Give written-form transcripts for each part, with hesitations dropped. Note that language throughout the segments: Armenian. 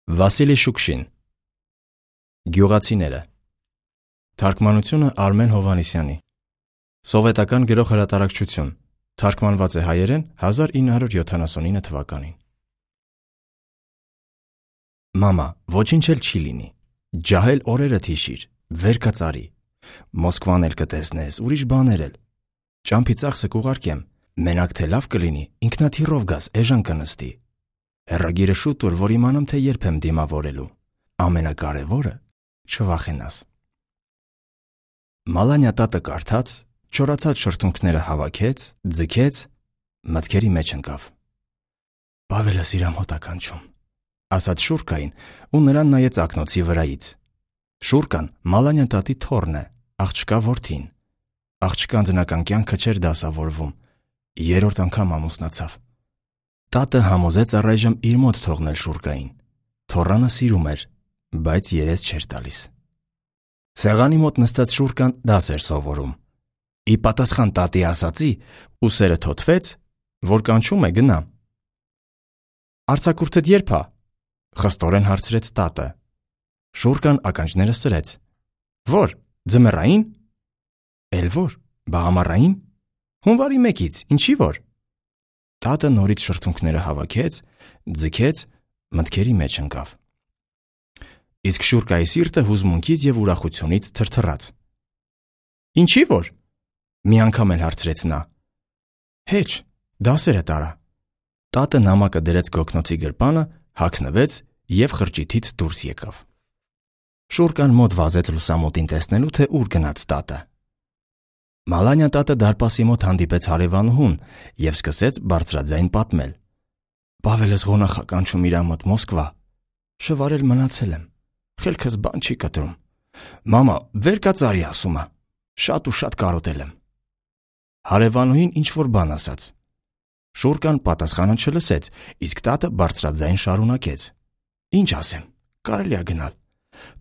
Վասիլի Շուկշին Գյուղացիները Թարգմանությունը Արմեն Հովհաննիսյանի Սովետական գրող հրատարակչություն Թարգմանված է հայերեն 1979 թվականին Մամա, ոչինչ էլ չի լինի Ջահել օրերդ հիշիր Վեր կծարի Մոսկվան էլ կտեսնես, ուրիշ բաներ էլ Ճամփի ծախսը կուղարկեմ Մենակ թե լավ կլինի, ինքնաթիռով գաս, էժան կնստի Հեռագիրը շուտ ուր, որ իմանամ, թե երբ եմ դիմավորելու Ամենակարևորը չվախենաս Մալանյա տատը կարդաց, չորացած շրթունքները հավաքեց, ձգեց, մտքերի մեջ ընկավ Պավելս իր ամոթ ականջում ասաց Շուրկային ու նրան նայեց ակնոցի վրայից Շուրկան Մալանյա տատի թոռն է, աղջկա որդին Աղջկան ձնական կյանքը չէր դասավորվում, երրորդ անգամ ամուսնացավ Տատը համոզեց առայժմ իր մոտ թողնել Շուրկային Թոռանը սիրում էր, բայց երես չէր տալիս Սեղանի մոտ նստած Շուրկան դաս էր սովորում Ի պատասխան տատի ասածի ուսերը թոթվեց, որ կանչում է գնա Արձակուրդդ երբ է, խստորեն հարցրեց տատը Շուրկան ականջները սրեց Որ, ձմեռային Էլ որ, բա ամառային Հունվարի 1-ից, ինչի որ Տատը նորից շրթունքները հավաքեց, ձգեց, մտքերի մեջ ընկավ Իսկ Շուրկայի սիրտը հուզմունքից և ուրախությունից թրթռաց Ինչի որ Մի անգամ էլ հարցրեց նա Հեչ, դասերը տարա Տատը նամակը դրեց գոգնոցի գրպանը, հագնվեց և խրճիթից դուրս եկավ Շուրկան մոտ վազեց լուսամուտին տեսնելու, թե ուր գնաց տատը Մալանյա տատը դարպասի մոտ հանդիպեց հարևանուհուն և սկսեց բարձրաձայն պատմել Պավելս ղոնախ ականջում իր մոտ Մոսկվա Շվարել մնացել եմ Խելքս բան չի կտրում Մամա, վեր կծարի ասում է Շատ ու շատ կարոտել եմ Հարևանուհին ինչ-որ բան ասաց Շուրկան պատասխանը չլսեց Իսկ տատը բարձրաձայն շարունակեց Ինչ ասեմ, կարելի է գնալ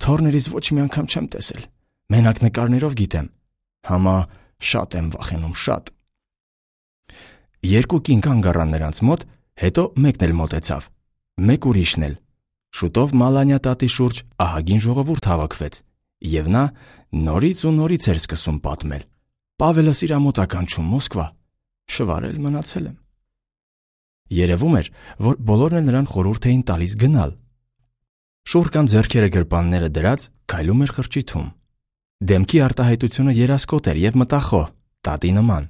Թոռներից ոչ մի անգամ չեմ տեսել Մենակ նկարներով գիտեմ Համա շատ եմ վախենում, շատ Երկու կին կանգ առան նրանց մոտ Հետո մեկն էլ մոտեցավ Մեկ ուրիշն էլ Շուտով Մալանյա տատի շուրջ ահագին ժողովուրդ հավաքվեց Եվ նա նորից ու նորից էր սկսում պատմել Պավելս իր մոտ ականջում Մոսկվա Շվարել մնացել եմ Երևում էր, որ բոլորն էլ նրան խորհուրդ էին տալիս գնալ Շուրկան ձեռքերը գրպանները դրած քայլում էր խրճիթում Դեմքի արտահայտությունը երասկոտ էր և մտախոհ, տատի նման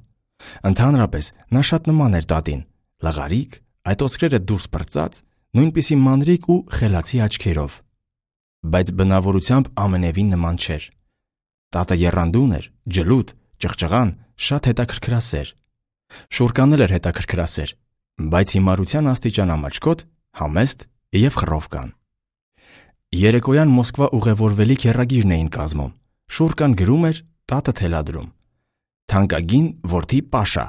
Ընդհանրապես նա շատ նման էր տատին Լղարիկ, այդ ոսկրերը դուրս պրծած Նույնպիսի մանրիկ ու խելացի աչքերով Բայց բնավորությամբ ամենևին նման չէր Տատը եռանդուն էր, ջլուտ, ճղճղան, շատ հետաքրքրասեր Շուրկանն էլ էր հետաքրքրասեր Բայց հիմարության աստիճան ամաչկոտ, համեստ և խռովկան Երեկոյան Մոսկվա ուղևորվելիք հեռագիրն էին կազմում Շուրկան գրում էր, տատը թելադրում Թանկագին որդի Պաշա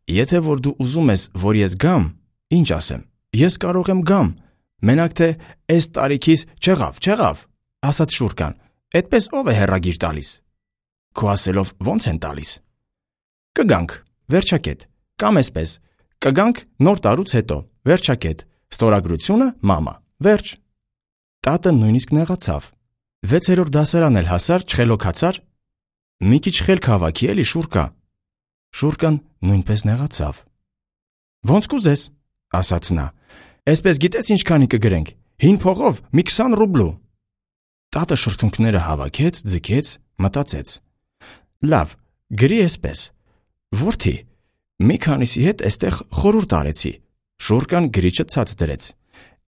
Եթե որ դու ուզում ես, որ ես գամ, ինչ ասեմ, ես կարող եմ գամ Մենակ թե էս տարիքիս չեղավ, ասաց Շուրկան Էդպես ով է հեռագիր տալիս Քո ասելով ոնց են տալիս Կգանք, վերջակետ, կամ էսպես Կգանք նոր տարուց հետո, վերջակետ Ստորագրությունը մամա, վերջ Տատը նույնիսկ նեղացավ 6-րդ դասարան էլ հասար, չխելոքացար Մի քիչ խելք հավաքի էլի Շուրկա Շուրկան նույնպես նեղացավ Ոնց կուզես, ասաց նա Էսպես գիտես ինչքանի կգրենք, հին փողով մի 20 ռուբլու Տատը շրթունքները հավաքեց, ձգեց, մտածեց Լավ, գրի էսպես Որդի, մի քանիսի հետ էստեղ խորհուրդ արեցի Շուրկան գրիչը ցած դրեց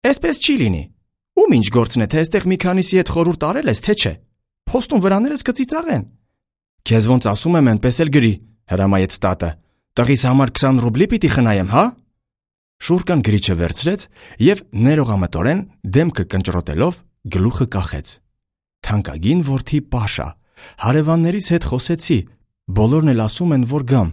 Էսպես չի լինի Ում ինչ գործն է, թե այստեղ մի քանիսի հետ խորհուրդ արել ես, թե չէ Փոստում վրաներս կծիծաղեն Քեզ ոնց ասում եմ, այնպես էլ գրի, հրամայեց տատը Տղիս համար 20 ռուբլի պիտի խնայեմ, հա Շուրկան գրիչը վերցրեց և ներողամտորեն դեմքը կնճռոտելով գլուխը կախեց Թանկագին որդի Պաշա Հարևաններիս հետ խոսեցի Բոլորն էլ ասում են, որ գամ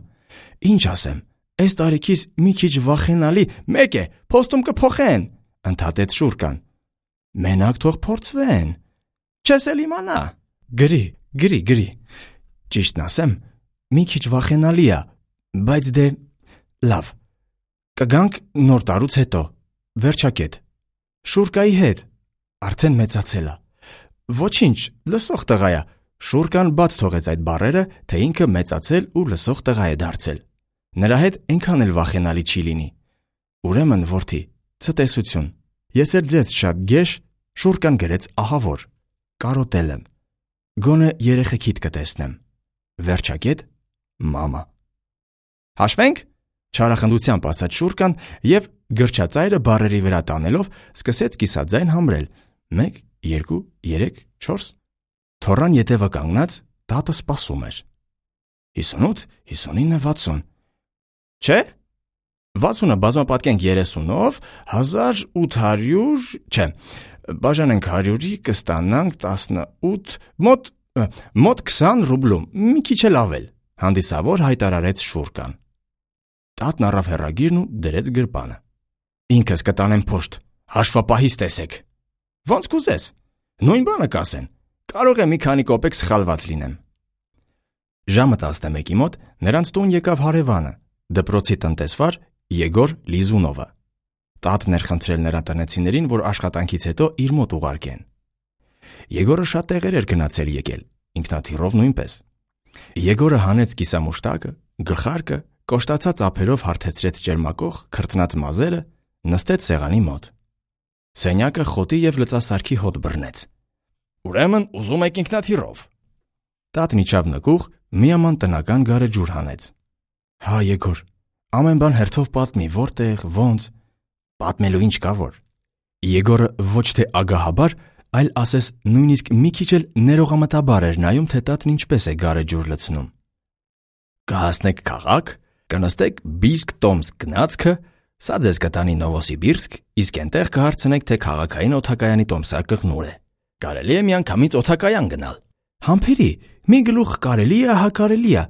Ինչ ասեմ, այս տարիքիս մի քիչ վախենալի Մեկ է, փոստում կփոխեն Ընդհատեց Շուրկան Մենակ թող փորձվեն Չես էլ իմանա Գրի Ճիշտն ասեմ, մի քիչ վախենալի է Բայց դե, լավ Կգանք նոր տարուց հետո Վերջակետ Շուրկայի հետ Արդեն մեծացել է։ Ոչինչ, լսող տղա է։ Շուրկան բաց թողեց այդ բառերը, թե ինքը մեծացել ու լսող տղա է դարձել։ Նրա հետ այնքան էլ վախենալի չի լինի։ Ուրեմն, որդի, ցտեսություն։ Ես էլ ձեզ շատ գեշ, Շուրկան գրեց ահավոր։ Կարոտել եմ։ Գոնե երեխեքիդ կտեսնեմ։ Վերջակետ, մամա։ Հաշվենք, չարախնդությամբ ասաց Շուրկան եւ գրչածայրը բառերի վրա տանելով սկսեց կիսաձայն համրել։ 1, 2, 3, 4։ Թոռան ետևը կանգնած տատը սպասում էր։ 58, 59, 60։ Չէ՞։ 60-ը բազմապատկենք 30-ով, 1800, չէ, բաժանենք 100-ի, կստանանք 18, մոտ 20 ռուբլում, մի քիչ էլ ավել, հանդիսավոր հայտարարեց Շուրկան։ Տատն առավ հեռագիրն ու դրեց գրպանը։ Ինքս կտանեմ փոշտ, հաշվապահից տեսեք։ Ոնց կուզես։ Նույն բանը կասեն։ Կարող է մի քանի կոպեկ սխալված լինեմ։ Ժամը 11-ի մոտ նրանց տուն եկավ հարևանը, դպրոցի տնտեսվար Եգոր Լիզունովը։ Տատն էր խնդրել նրա տնեցիներին, որ աշխատանքից հետո իր մոտ ուղարկեն։ Եգորը շատ տեղեր էր գնացել եկել, ինքնաթիռով նույնպես։ Եգորը հանեց կիսամուշտակը, գլխարկը, կոշտացած ափերով հարթեցրեց ճերմակող, քրտնած մազերը, նստեց սեղանի մոտ։ Սենյակը խոտի եւ լծասարքի հոտ բռնեց։ Ուրեմն ուզում եք ինքնաթիռով։ Տատն իջավ նկուղ, միաման տնական գարեջուր հանեց։ Հա, Եգոր, ամեն բան հերթով պատմի, որտեղ, ոնց։ Պատմելու ինչ կա որ։ Եգորը ոչ թե ագահաբար, այլ ասես նույնիսկ մի քիչ էլ ներողամտաբար էր նայում, թե տատն ինչպես է գարեջուր լցնում։ Կհասնեք քաղաք, կնստեք Բիսկ-Տոմսկ գնացքը, սա ձեզ կտանի Նովոսիբիրսկ, իսկ այնտեղ կհարցնեք, թե քաղաքային օդակայանի տոմսարկը նուր է։ Կարելի է միանգամից օդակայան գնալ։ Համբերի, մի գլուխ կարելի է, հա կարելի է։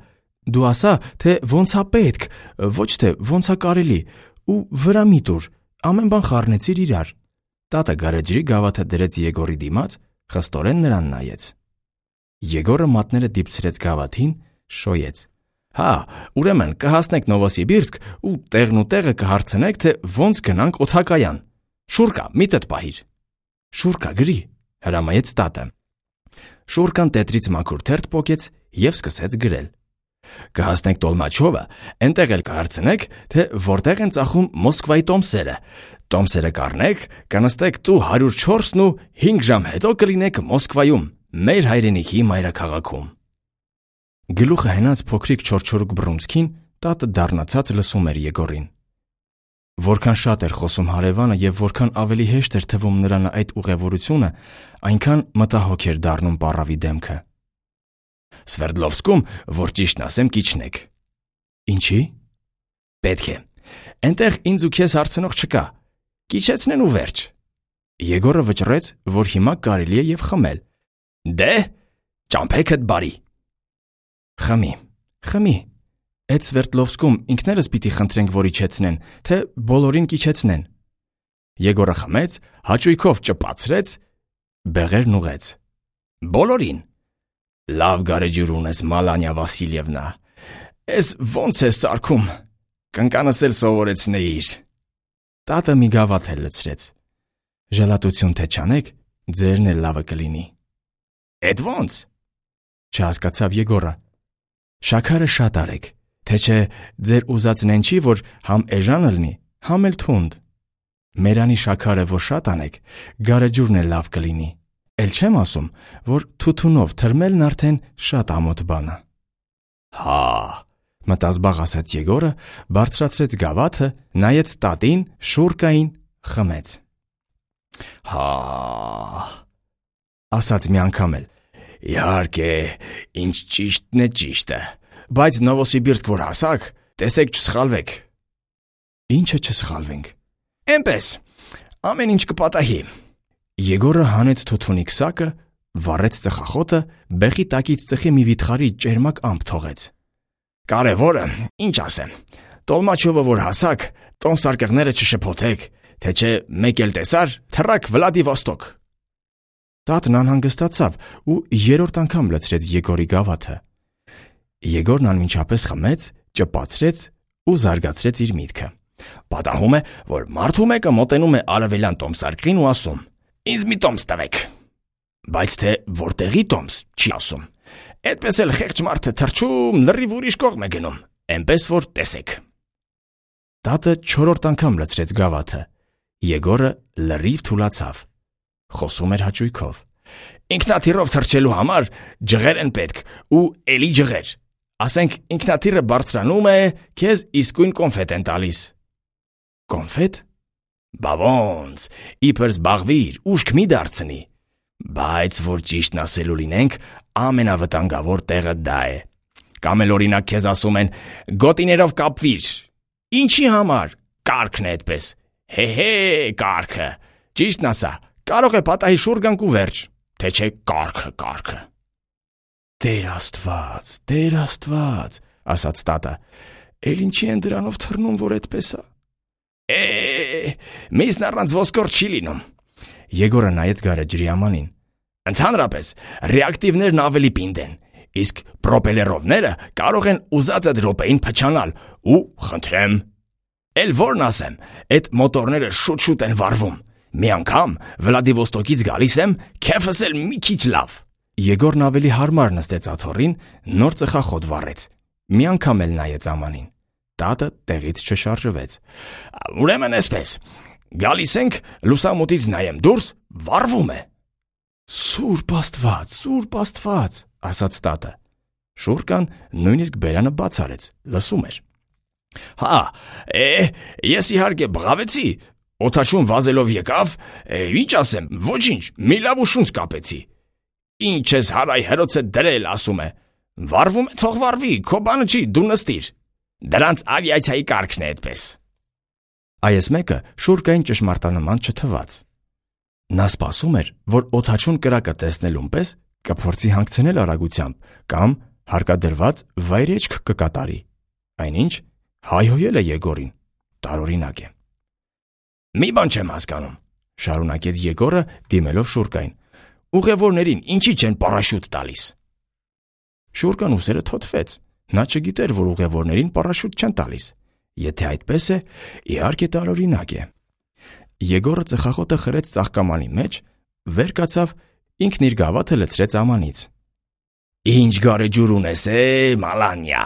Դու ասա, թե ոնց է պետք, ոչ թե ոնց է կարելի, ու վրա մի տուր, ամեն բան խառնեցիր իրար։ Տատը գարեջրի գավաթը դրեց Եգորի դիմաց, խստորեն նրան նայեց։ Եգորը մատները դիպցրեց գավաթին, շոյեց։ Հա, ուրեմն կհասնեք Նովոսիբիրսկ ու տեղն ու տեղը կհարցնեք, թե ոնց գնանք օդակայան։ Շուրկա, միտդ պահիր։ Շուրկա գրի, հրամայեց տատը։ Շուրկան տետրից մաքուր թերթ պոկեց եւ սկսեց գրել։ Կհասնեք Տոլմաչովը, այնտեղ էլ կհարցնեք, թե որտեղ են ծախում Մոսկվայի տոմսերը։ Տոմսերը կառնեք, կնստեք տու 104-ն ու 5 ժամ հետո կլինեք Մոսկվայում, մեր հայրենիքի մայրաքաղաքում։ Գլուխը հենած փոքրիկ չորչորուկ բռունցքին տատը դառնացած լսում էր Եգորին։ Որքան շատ էր խոսում հարևանը եւ որքան ավելի հեշտ էր թվում նրան այդ ուղևորությունը, այնքան մտահոգ էր դառնում պառավի դեմքը։ Սվերդլովսկում, որ ճիշտն ասեմ, կիչնեք։ Ինչի՞։ Պետք է։ Այնտեղ ինձ ու քեզ հարցնող չկա։ Կիչեցնեն ու վերջ։ Եգորը վճռեց, որ հիմա կարելի է եւ խմել։ Դե, ճամփեքդ բարի։ Խմի։ Այդ Սվերդլովսկում ինքներս պիտի խնդրենք, որ իջեցնեն, թե բոլորին կիչեցնեն։ Եգորը խմեց, հաճույքով ճպացրեց, բեղերն ուղեց։ Բոլորին։ Լավ գարեջուր ունես, Մալանյա Վասիլևնա։ Էս ոնց է սարքում։ Կնկանս էլ սովորեցնեիր։ Տատը մի գավաթ էլ լցրեց։ Ժելատություն թե չանեք, ձերն էլ լավը կլինի։ Էդ ոնց։ Չհասկացավ Եգորը։ Շաքարը շատ արեք, թե չէ ձեր ուզածն են չի, որ համ էժանը լինի, համ էլ թունդ։ Մերանի շաքարը որ շատ անեք, գարեջուրն էլ լավ կլինի։ Էլ չեմ ասում, որ թութունով թրմելն արդեն շատ ամոթ բան է։ Հա, մտազբաղ ասաց Եգորը, բարձրացրեց գավաթը, նայեց տատին, Շուրկային, խմեց։ Հա, ասաց մի անգամ էլ։ Իհարկե, ինչ ճիշտն է ճիշտը, բայց Նովոսիբիրսկ որ հասակ, տեսեք չսխալվեք։ Ինչը չսխալվենք։ Էնպես, ամեն ինչ կպատահի։ Եգորը հանեց թութունի քսակը, վառեց ծխախոտը, բեղի տակից ծխի մի վիթխարի ճերմակ ամպ թողեց։ Կարևորը, ինչ ասեմ, Տոլմաչովը որ հասակ, տոմսարկղները չշփոթեք, թե չէ մեկ էլ տեսար, թռակ Վլադիվոստոկ։ Տատն անհանգստացավ ու երրորդ անգամ լցրեց Եգորի գավաթը։ Եգորն անմիջապես խմեց, ճպացրեց ու զարգացրեց իր միտքը։ Պատահում է, որ մարդու մեկը մոտենում է արևելյան տոմսարկղին ու ասում. Ինձ մի տոմս տվեք։ Բայց թե որտեղի տոմս, չի ասում։ Այդպես էլ խեղճ մարդը թռչում, լրիվ ուրիշ կողմ է գնում, այնպես որ տեսեք։ Տատը 4-րդ անգամ լցրեց գավաթը։ Եգորը լրիվ թուլացավ։ Խոսում էր հաճույքով։ Ինքնաթիռով թռչելու համար ջղեր են պետք ու էլի ջղեր։ Ասենք ինքնաթիռը բարձրանում է, քեզ իսկույն կոնֆետ են տալիս։ Կոնֆետ։ Բա ոնց, իբր զբաղվիր, ուշք մի դարձնի։ Բայց որ ճիշտն ասելու լինենք, ամենավտանգավոր տեղը դա է։ Կամ էլ օրինակ քեզ ասում են գոտիներով կապվիր։ Ինչի համար։ Կարգն է այդպես։ Հե, կարգը։ Ճիշտն ասա, կարող է պատահի շուռ գանք ու վերջ, թե չէ կարգը։ Տեր Աստված, ասաց տատը։ Էլ ինչի են դրանով թռնում, որ այդպես է։ Միսն առանց ոսկոր չի լինում։ Եգորը նայեց գարեջրի ամանին։ Ընդհանրապես, ռեակտիվներն ավելի պինդ են, իսկ պրոպելերովները կարող են ուզածդ րոպեին փչանալ ու խնդրեմ։ Էլ որն ասեմ, այդ մոտորները շուտ են վառվում։ Մի անգամ Վլադիվոստոկից գալիս եմ, քեֆս էլ մի քիչ լավ։ Եգորն ավելի հարմար նստեց աթոռին, նոր ծխախոտ վառեց։ Մի անգամ էլ նայեց ամանին։ Տատը տեղից չշարժվեց։ Ուրեմն էսպես, գալիս ենք, լուսամուտից նայեմ դուրս, վառվում է։ Սուրբ Աստված, ասաց տատը։ Շուրկան նույնիսկ բերանը բաց արեց, լսում էր։ Հա, ես իհարկե բղավեցի, օդաչուն վազելով եկավ, ինչ ասեմ, ոչինչ, մի լավ ու շունչ կապեցի։ Ինչ ես հարայ հերոցը դրել, ասում է։ Վառվում է, թող վառվի, քո բանը չի, դու նստիր։ Դրանց ավիացիայի կարգն է այդպես։ Այս մեկը շուրկային ճշմարտանման չթվաց։ Նա սպասում էր, որ օդաչուն կրակը տեսնելուն պես կփորձի հանգցնել արագությամբ կամ հարկադրված վայրեջք կկատարի։ Այնինչ հայհոյել է Եգորին, տարօրինակ է։ Մի բան չեմ հասկանում, շարունակեց Եգորը դիմելով շուրկային։ Ուղևորներին ինչի չեն պարաշուտ տալիս։ Շուրկան ուսերը թոթվեց։ Նա չգիտեր, որ ուղևորներին պարաշուտ չեն տալիս։ Եթե այդպես է, իհարկե տարօրինակ է։ Եգորը ծխախոտը խրեց ծաղկամանի մեջ, վեր կացավ, ինքն իր գավաթը լցրեց ամանից։ Ինչ գարեջուր ունես, Մալանյա։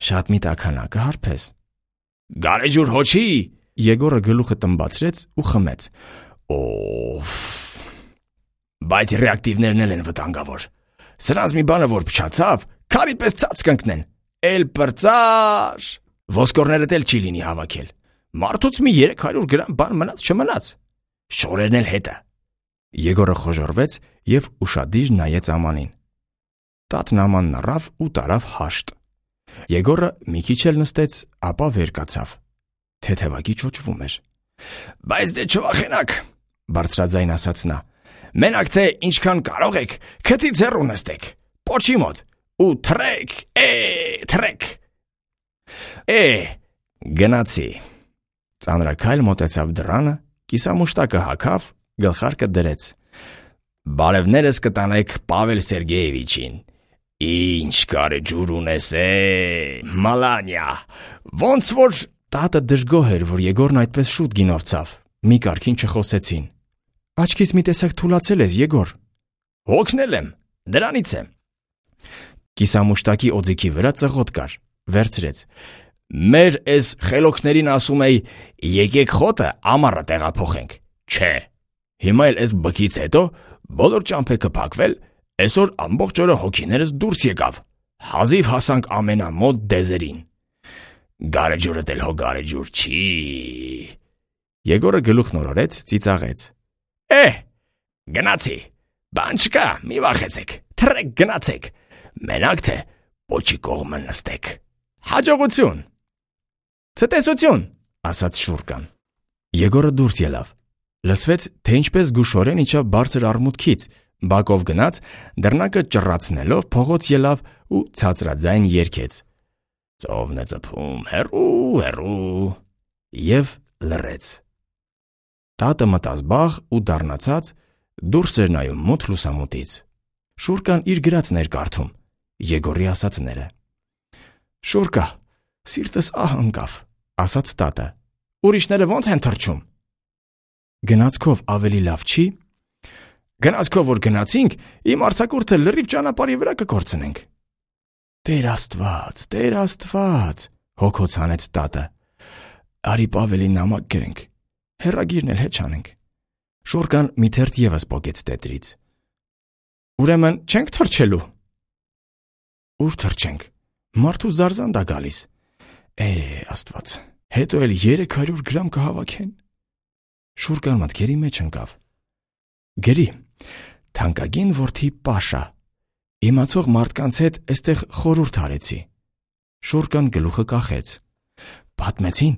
Շատ մի տաքանակը հարբես։ Գարեջուր հոչի։ Եգորը գլուխը տմբացրեց ու խմեց։ Բայց ռեակտիվներն էլ են վտանգավոր։ Սրանց մի բանը որ փչացավ, քարի պես ցած կընկնեն։ Էլ պրծար։ Ոսկորներդ էլ չի լինի հավաքել։ Մարդուց մի 300 գրամ բան մնաց չմնաց։ Շորերն էլ հետը։ Եգորը խոժորվեց եւ ուշադիր նայեց ամանին։ Տատն ամանն առավ ու տարավ հաշտ։ Եգորը մի քիչ էլ նստեց, ապա վեր կացավ։ Թեթևակի ճոճվում էր։ Բայց դե չվախենակ, բարձրաձայն ասաց նա։ Մենակ թե ինչքան կարող եք, քթից հեռու նստեք, պոչի մոտ, ու թռեք։ Գնացի։ Ծանրաքայլ մոտեցավ դռանը, կիսամուշտակը հագավ, գլխարկը դրեց։ Բարևներս կտանեք Պավել Սերգեևիչին։ Ինչ գարեջուր ունես, Մալանյա։ Ոնց որ տատը դժգոհ էր, որ Եգորն այդպես շուտ գինով ցավ։ Մի կարգին չխոսեցին։ Աչքից մի տեսակ թուլացել ես, Եգոր։ Հոգնել եմ, դրանից է։ Կիսամուշտակի օձիքի վրա ծղոտ կար, վերցրեց։ Մեր էս խելոքներին ասում էի, եկեք խոտը ամառը տեղափոխենք։ Չէ։ Հիմա էլ էս բքից հետո բոլոր ճամփեքը փակվել, այսօր ամբողջ օրը հոգիներս դուրս եկավ։ Հազիվ հասանք ամենամոտ դեզերին։ Գարեջուրդ էլ հո գարեջուր չի։ Եգորը գլուխն օրորեց, ծիծաղեց։ Գնացի, բան չկա, մի վախեցեք, թռեք գնացեք, մենակ թե պոչի կողմը նստեք։ Հաջողություն։ Ցտեսություն, ասաց շուրկան։ Եգորը դուրս ելավ։ Լսվեց, թե ինչպես գուշորեն իջավ բարձր արմուտքից, բակով գնաց, դռնակը ճռացնելով փողոց ելավ ու ցածրաձայն երգեց։ Ծովն է ծփում, հեռու, եւ լռեց։ Տատը մտած բաղ ու դառնացած դուրս էր նայում մութ լուսամուտից։ Շուրկան իր գրածն էր կարդում, Եգորի ասածները։ Շուրկա, սիրտս ահ ընկավ, ասաց տատը։ Ուրիշները ո՞նց են թռչում։ գնացքով ավելի լավ չի։ Գնացքով որ գնացինք, իմ արձակուրդը լրիվ ճանապարհի վրա կկորցնենք։ Տեր Աստված, հոգոց հանեց տատը։ Արի Պավելին նամակ գրենք, հեռագիրն էլ հետ չանենք։ Շուրկան մի թերթ ևս պոկեց տետրից։ Ուրեմն չենք թռչելու։ Ուր թռչենք, մարդու զարզանդ է գալիս։ Աստված, հետո էլ 300 գրամ կհավաքեն։ Շուրկան մտքերի մեջ ընկավ։ Գրի, թանկագին որդի Պաշա, իմացող մարդկանց հետ էստեղ խորհուրդ արեցի։ Շուրկան գլուխը կախեց։ Պատմեցին,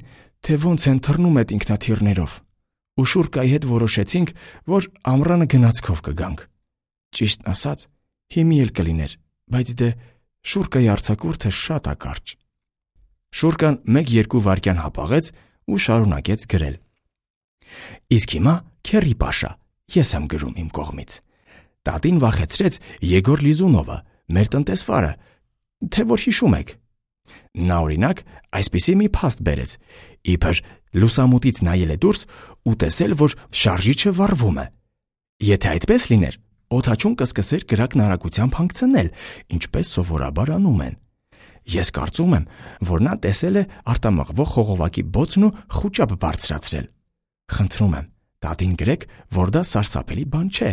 թե ոնց են թռնում այդ ինքնաթիռներով, ու Շուրկայի հետ որոշեցինք, որ ամռանը գնացքով կգանք։ Ճիշտն ասած, հիմի էլ կլիներ, բայց դե Շուրկայի արձակուրդը շատ ակարճ։ Շուրկան 1-2 վայրկյան հապաղեց ու շարունակեց գրել։ Իսկ հիմա քերի Պաշա, ես եմ գրում իմ կողմից։ Տատին վախեցրեց Եգոր Լիզունովը, մեր տնտեսվարը, թե որ հիշում եք։ Նա օրինակ այսպիսի մի փաստ բերեց, իբր լուսամուտից նայել է դուրս ու տեսել, որ շարժիչը վառվում է։ Եթե այդպես լիներ, օդաչուն կսկսեր կրակն արագությամբ հանգցնել, ինչպես սովորաբար անում են։ Ես կարծում եմ, որ նա տեսել է արտամղվող խողովակի բոցն ու խուճապ բարձրացրել։ Խնդրում եմ, տատին գրեք, որ դա սարսափելի բան չէ,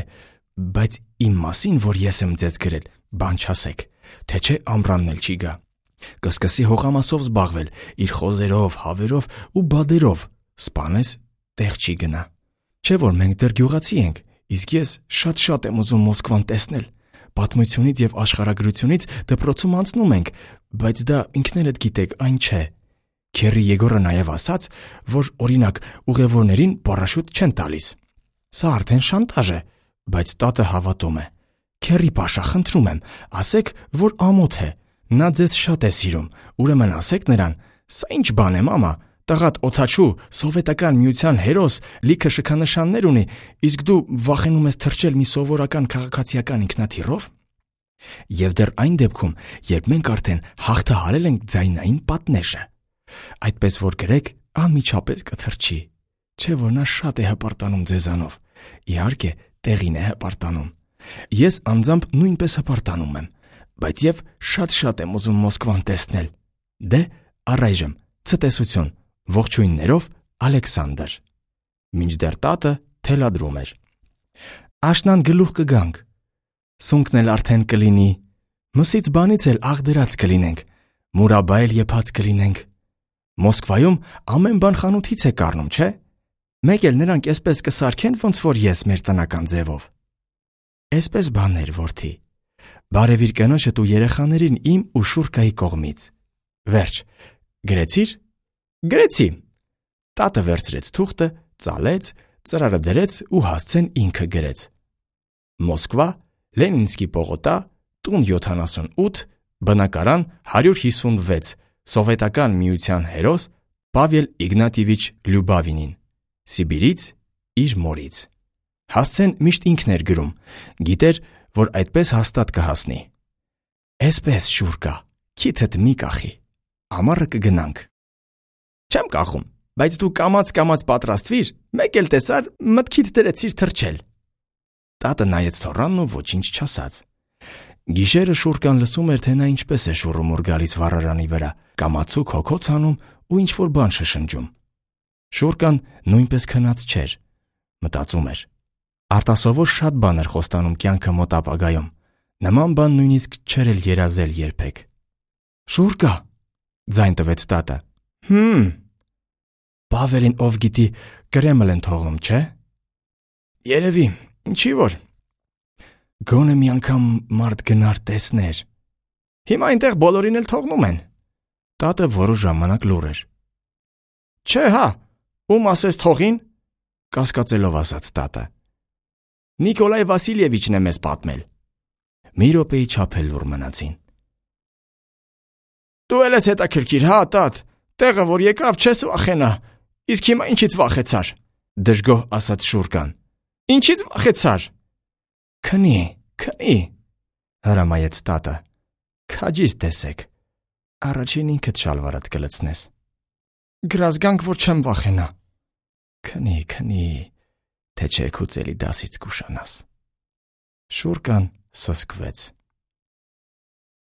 բայց իմ մասին, որ ես եմ ձեզ գրել, բան չասեք, թե չէ ամռանն էլ չի գա։ Կսկսի հողամասով զբաղվել, իր խոզերով, հավերով ու բադերով, սպանես տեղ չի գնա։ Չէ որ մենք դեռ գյուղացի ենք, իսկ ես շատ եմ ուզում Մոսկվան տեսնել։ Պատմությունից եւ աշխարհագրությունից դպրոցում անցնում ենք, բայց դա ինքներդ գիտեք, այն չէ։ Քերի Եգորը նաև ասաց, որ օրինակ ուղևորներին պարաշուտ չեն տալիս։ Սա արդեն շանտաժ է, բայց տատը հավատում է։ Քերի Պաշա, խնդրում եմ, ասեք, որ ամոթ է։ Նա ձեզ շատ է սիրում, ուրեմն ասեք նրան, սա ինչ բան է, մամա, տղատ օդաչու, սովետական միության հերոս, լիքը շքանշաններ ունի, իսկ դու վախենում ես թռչել մի սովորական քաղաքացիական ինքնաթիռով։ Եվ դեռ այն դեպքում, երբ մենք արդեն հաղթահարել ենք ձայնային պատնեշը։ Այդպես որ գրեք, անմիջապես կթռչի։ Չէ որ նա շատ է հպարտանում ձեզանով։ Իհարկե, տեղին է հպարտանում։ Ես անձամբ նույնպես հպարտանում եմ, բայց եւ շատ եմ ուզում Մոսկվան տեսնել։ Դե, առայժմ, ցտեսություն, ողջույններով, Ալեքսանդր։ Մինչդեռ տատը թելադրում էր։ Աշնան գլուխ կգանք։ Սունկն էլ արդեն կլինի։ Մսից բանից էլ աղդրած կլինենք։ Մուրաբա էլ եփած կլինենք։ Մոսկվայում ամեն բան խանութից է կառնում, չէ՞։ Մեկ էլ նրանք էսպես կսարքեն, ոնց որ ես մեր տնական ձևով։ Էսպես բաներ, որդի։ Բարևիր կնոջդ ու երեխաներին իմ ու Շուրկայի կողմից։ Վերջ։ Գրեցի՞ր։ Գրեցի։ Տատը վերցրեց թուղթը, ծալեց, ծրարը դրեց ու հասցեն ինքը գրեց։ Մոսկվա, Լենինսկի պողոտա, տուն 78, բնակարան 156, սովետական միության հերոս Պավել Իգնատիևիչ Լյուբավինին, Սիբիրից իր մորից։ Հասցեն միշտ ինքն էր գրում, գիտեր, որ այդպես հաստատ կհասնի։ Էսպես Շուրկա, քիթդ մի կախի, ամառը կգնանք։ Չեմ կախում, բայց դու կամաց պատրաստվիր, մեկ էլ տեսար մտքիդ դրեցիր թռչել։ Տատը նայեց թոռանն ու ոչինչ չասաց։ Գիշերը Շուրկան լսում էր, թե նա ինչպես է շուռումուռ գալիս վառարանի վրա, կամացուկ հոգոց անում ու ինչ-որ բան շշնջում։ Շուրկան նույնպես քնած չէր, մտածում էր։ Արտասովոր շատ բան էր խոստանում կյանքը մոտ ապագայում։ Նման բան նույնիսկ չէր էլ երազել երբեք։ Շուրկա, ձայն տվեց տատը։ Պավելին ով գիտի Կրեմլ են թողնում, չէ՞։ Երևի, ինչի որ։ Գոնե մի անգամ մարդ գնար տեսներ։ Հիմա այնտեղ բոլորին էլ թողնում են։ Տատը որոշ ժամանակ լուռ էր։ Չէ, հա, ում ասես թողին, կասկածելով ասաց տատը։ Նիկոլայ Վասիլևիչն է մեզ պատմել։ Մի րոպեի չափ էլ լուռ մնացին։ Դու էլ ես հետաքրքիր, հա, տատ, տեղը որ եկավ չես վախենա, իսկ հիմա ինչից վախեցար, դժգոհ ասաց Շուրկան։ Ինչից վախեցար։ Քնի, հրամայեց տատը։ Քաջիս տեսեք, առաջին ինքդ շալվարդ կլցնես։ Գրազգանք, որ չեմ վախենա։ Քնի, թե չէ քո ծելի դասից կուշանաս։ Շուրկան սսկվեց։